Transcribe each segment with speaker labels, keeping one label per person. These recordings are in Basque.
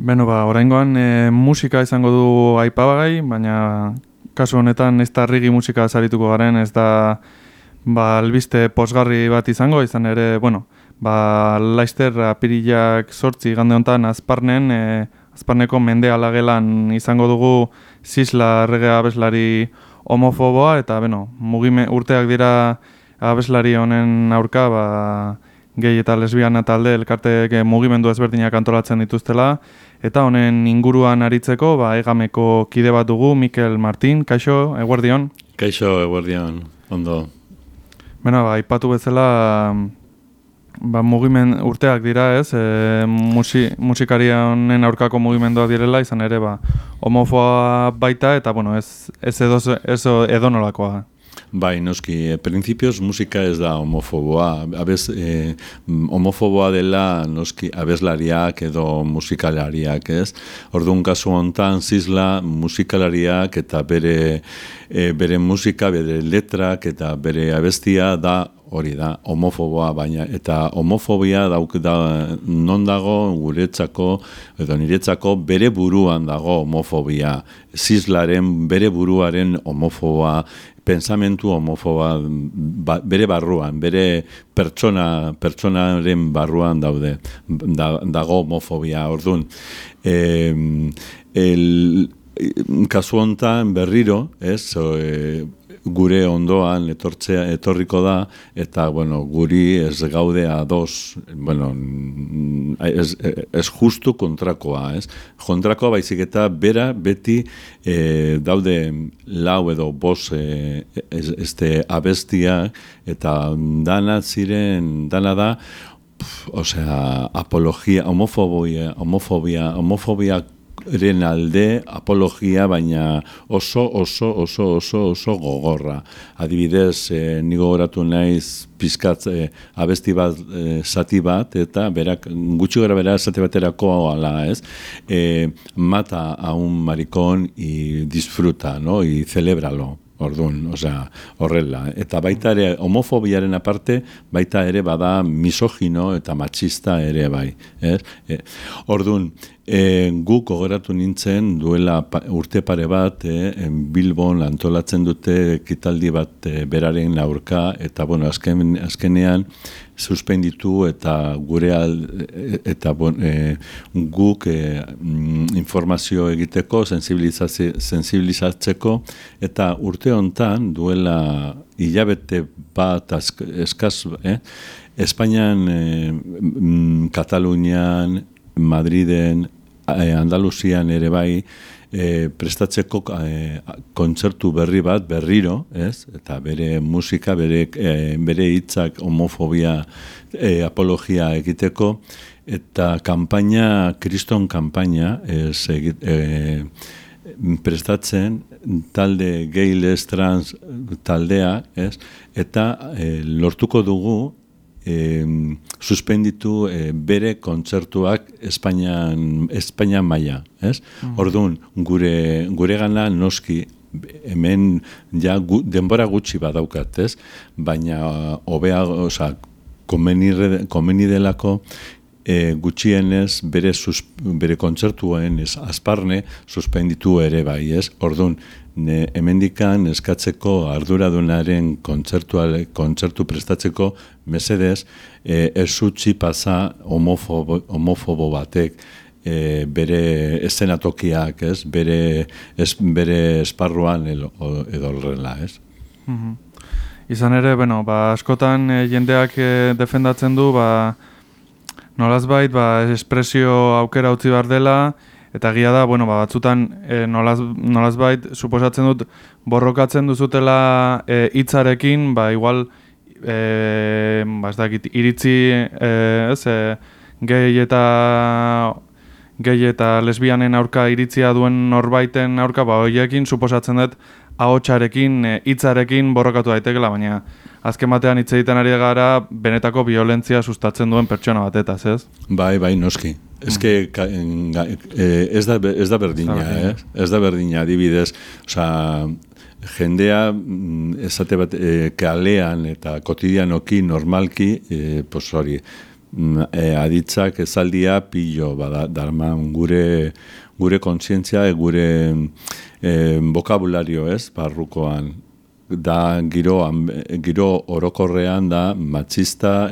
Speaker 1: Oraingoan musika izango du aipagai, baina kasu honetan ez da rigi musika sarituko garen, ez da albiste posgarri bat izango, izan ere, Laster apirilak 8 igande honetan Azparneko Mendea gelan izango dugu Sisla errege abeslari homofoboa, eta urteak dira abeslari honen aurka, gehi eta lesbiana talde elkarteek mugimendu ezberdinak antolatzen dituztela, eta honen inguruan aritzeko Egameko kide bat dugu, Mikel Martin. Kaixo, eguerdion?
Speaker 2: Kaixo, eguerdion, ondo.
Speaker 1: Aipatu bezala, urteak dira, ez? Musikaria honen aurkako mugimenduak direla, izan ere, homofoa baita, eta, ez edonolakoa.
Speaker 2: Bai, noski, principios musika ez da homofoboa. Homofoboa dela noski abeslariak edo musikalariak, ez? Orduan kasu hontan Sisla musikalariak eta bere musika, bere letrak eta bere abestia da hori da, homofoboa, baina eta homofobia non dago guretzako edo niretzako bere buruan dago homofobia. Sislaren bere buruaren homofoboa, pensamentu homofoba bere barruan, bere pertsonaren barruan dago homofobia. Orduan, kasu hontan berriro, ez, gure ondoan etorriko da, eta, guri ez gaude ados, ez justu kontrakoa, ez? Kontrakoa baizik eta bera beti daude lau edo bos abestiak, eta dana da, apologia, homofobia alde apologia, baina oso gogorra. Adibidez, ni gogoratu naiz pizkat abesti bat, zati bat, eta gutxi gara bera zati baterako ala, ez? Mata a un maricón y disfruta, ¿no? Y celébralo. Orduan, horrela. Eta baita ere, homofobiaren aparte, baita ere bada misogino eta machista ere bai. Orduan, guk gogoratu nintzen duela urte pare bat, Bilbon antolatzen dute ekitaldi bat beraren aurka, eta azkenean suspenditu eta guk informazio egiteko, sensibilizatzeko, eta urte hontan duela hilabete bat eskaz, Espainian, Katalunian, Madriden, Andaluzian ere bai, prestatzeko kontzertu berri bat, berriro, ez? Eta bere musika, bere hitzak homofobia apologia egiteko, eta kriston kanpaina prestatzen talde gay les trans taldea, ez? Eta lortuko dugu suspenditu bere kontzertuak Espainian maila, ez? Orduan, gure gana noski, hemen ja denbora gutxi badaukat, ez? Baina hobea, komeni delako gutxienez bere kontzertuen Azparne suspenditu ere bai, ez? Orduan, hemendikan eskatzeko arduradunaren kontzertu prestatzeko mesedez, ez utzi pasa homofobo batek bere eszenatokiak, ez? Bere esparruan edo horrela, ez?
Speaker 1: Izan ere, askotan jendeak defendatzen du, nolazbait, espresio aukera utzi behar dela, eta egia da, batzutan nolazbait, suposatzen dut, borrokatzen duzutela hitzarekin, igual, ez dakit, iritzi, gehi eta lesbianen aurka iritzia duen norbaiten aurka, horiekin suposatzen dut, ahotsarekin, hitzarekin borrokatu daitekela, baina azken batean hitz egiten ari gara benetako violentzia sustatzen duen pertsona batetaz, ez?
Speaker 2: Bai, noski. Ez da berdina, ez da berdina, adibidez, jendea, esate bat, kalean eta kotidianoki, normalki, hori, aditzak ezaldia pilo darman gure kontzientzia, gure bokabulario ez, barrukoan. Da giro orokorrean da matxista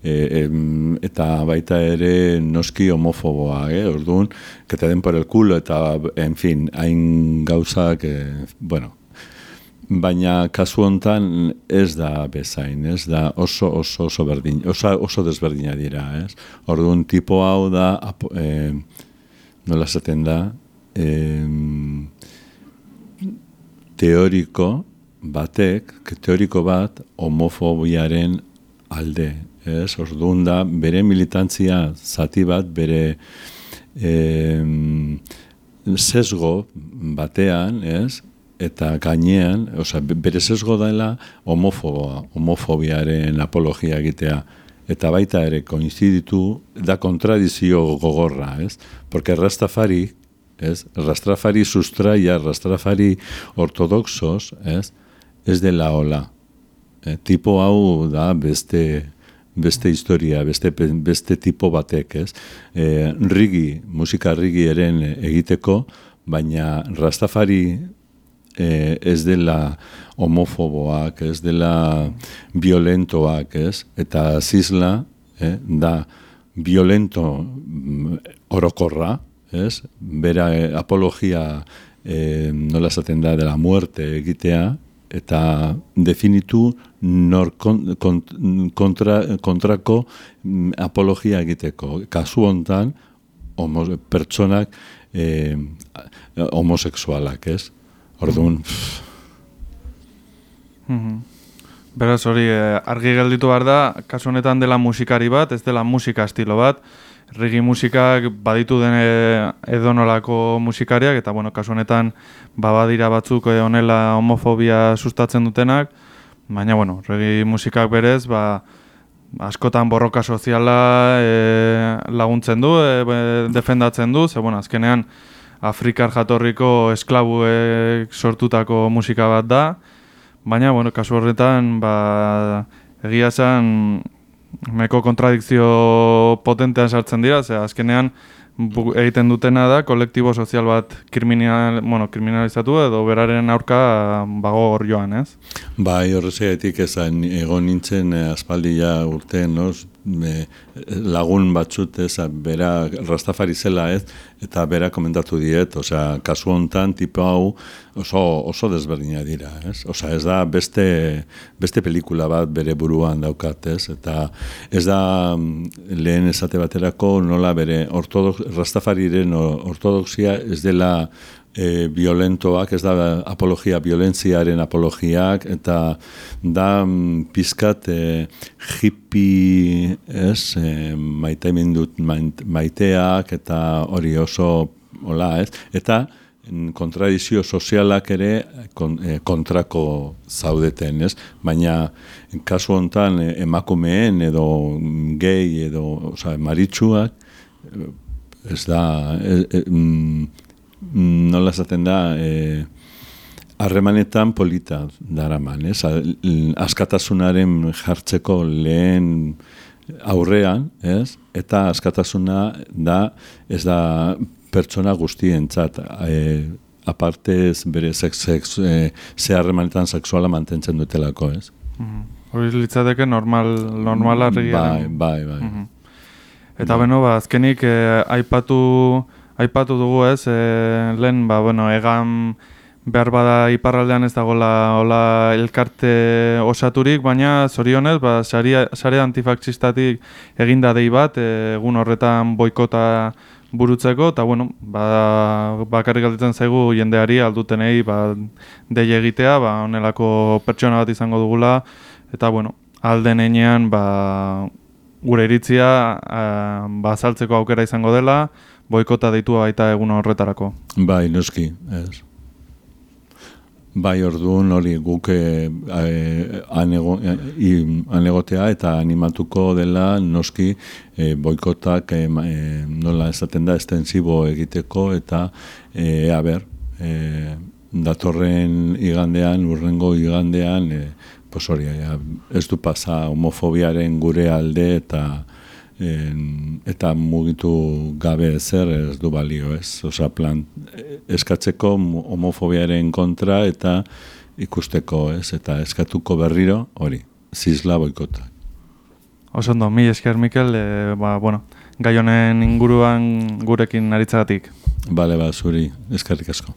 Speaker 2: eta baita ere noski homofoboa, orduan, que te den por el culo eta, en fin, hain gauzak, bueno, baina kasu hontan ez da bezain, ez da oso berdin, oso desberdina dira, ez? Orduan, tipo hau da, nola esaten da, teoriko bat homofobiaren alde, ez? Orduan da, bere militantzia zati bat, bere sesgo batean, ez? Eta gainean, bere sesgo dela homofobiaren apologia egitea. Eta baita ere, koinziditu, da kontradizio gogorra, ez? Porque Rastafari, ez? Rastafari sustraia, Rastafari ortodoxos, ez dela hola. Tipo hau da beste historia, beste tipo batek, ez? Musika rigi eren egiteko, baina Rastafari ez dela homofoboak, ez dela violentoak, ez? Eta zizla da violento orokorra, ez? Bera apologia nola esaten da dela muerte egitea, eta definitu kontrako apologia egiteko. Kasu hontan, pertsonak homosexualak, ez? Orduan...
Speaker 1: Beraz hori, argi gelditu behar da, kasu honetan dela musikari bat, ez dela musika estilo bat, reggae musikak baditu den edonolako musikariak, eta bueno, kasu honetan badira batzuk honela homofobia sustatzen dutenak, baina bueno, reggae musikak berez, askotan borroka soziala laguntzen du, defendatzen du, ze bueno, azkenean Afrikar jatorriko esklabuek sortutako musika bat da, baina, bueno, kasu horretan, egia esan, meko kontradikzio potentean sartzen dira, ze azkenean egiten dutena da, kolektibo sozial bat kriminalizatu edo beraren aurka bagor joan, ez?
Speaker 2: Bai, horrezegatik esan, egon nintzen aspaldia urtean, lagun batzut, bera Rastafari zela, eta bera komentatu diet, kasu hontan, tipo hau oso desberdina dira, ez? Ez da beste pelikula bat bere buruan daukat, eta ez da lehen esate baterako nola bere Rastafariren ortodoxia ez dela violentoak, ez da apologia, violentziaren apologiak, eta da pizkat hippie, maiteak, eta hori oso, hola, eta kontradizio sozialak ere kontrako zaudeten, ez? Baina, kasu hontan, emakumeen edo gay edo maritsuak, ez da, nola esaten da, harremanetan polita daraman, ez? Askatasunaren jartzeko lehen aurrean, ez? Eta askatasuna da, ez da pertsona guztientzat, aparte bere ze harremanetan sexuala mantentzen dutelako, ez?
Speaker 1: Hori litzateke normala regia.
Speaker 2: Bai.
Speaker 1: Eta beno, azkenik aipatu dugu, ez, lehen, egan behar bada iparraldean ez dagoela elkarte osaturik, baina zorionez, sare antifakzistatik eginda dei bat, egun horretan boikota burutzeko, eta bueno, bakarrik galditzen zaigu jendeari aldutenei dei egitea, honelako pertsona bat izango dugula, eta bueno, alden enean gure iritzia azaltzeko aukera izango dela, boikota deitua baita egun horretarako.
Speaker 2: Bai, noski, ez. Bai, orduan hori guk anegotea eta animatuko dela noski boikotak nola esaten da estensibo egiteko eta datorren igandean, urrengo igandean, hori, ez du pasa homofobiaren gure alde eta mugitu gabe ezer ez du balio, ez? Osa, plan, eskatzeko homofobiaren kontra eta ikusteko, ez? Eta eskatuko berriro, hori, zisla boikota.
Speaker 1: Osondo, mi esker, Mikel, gai honen inguruan gurekin aritzagatik.
Speaker 2: Bale, zuri, eskerrik asko.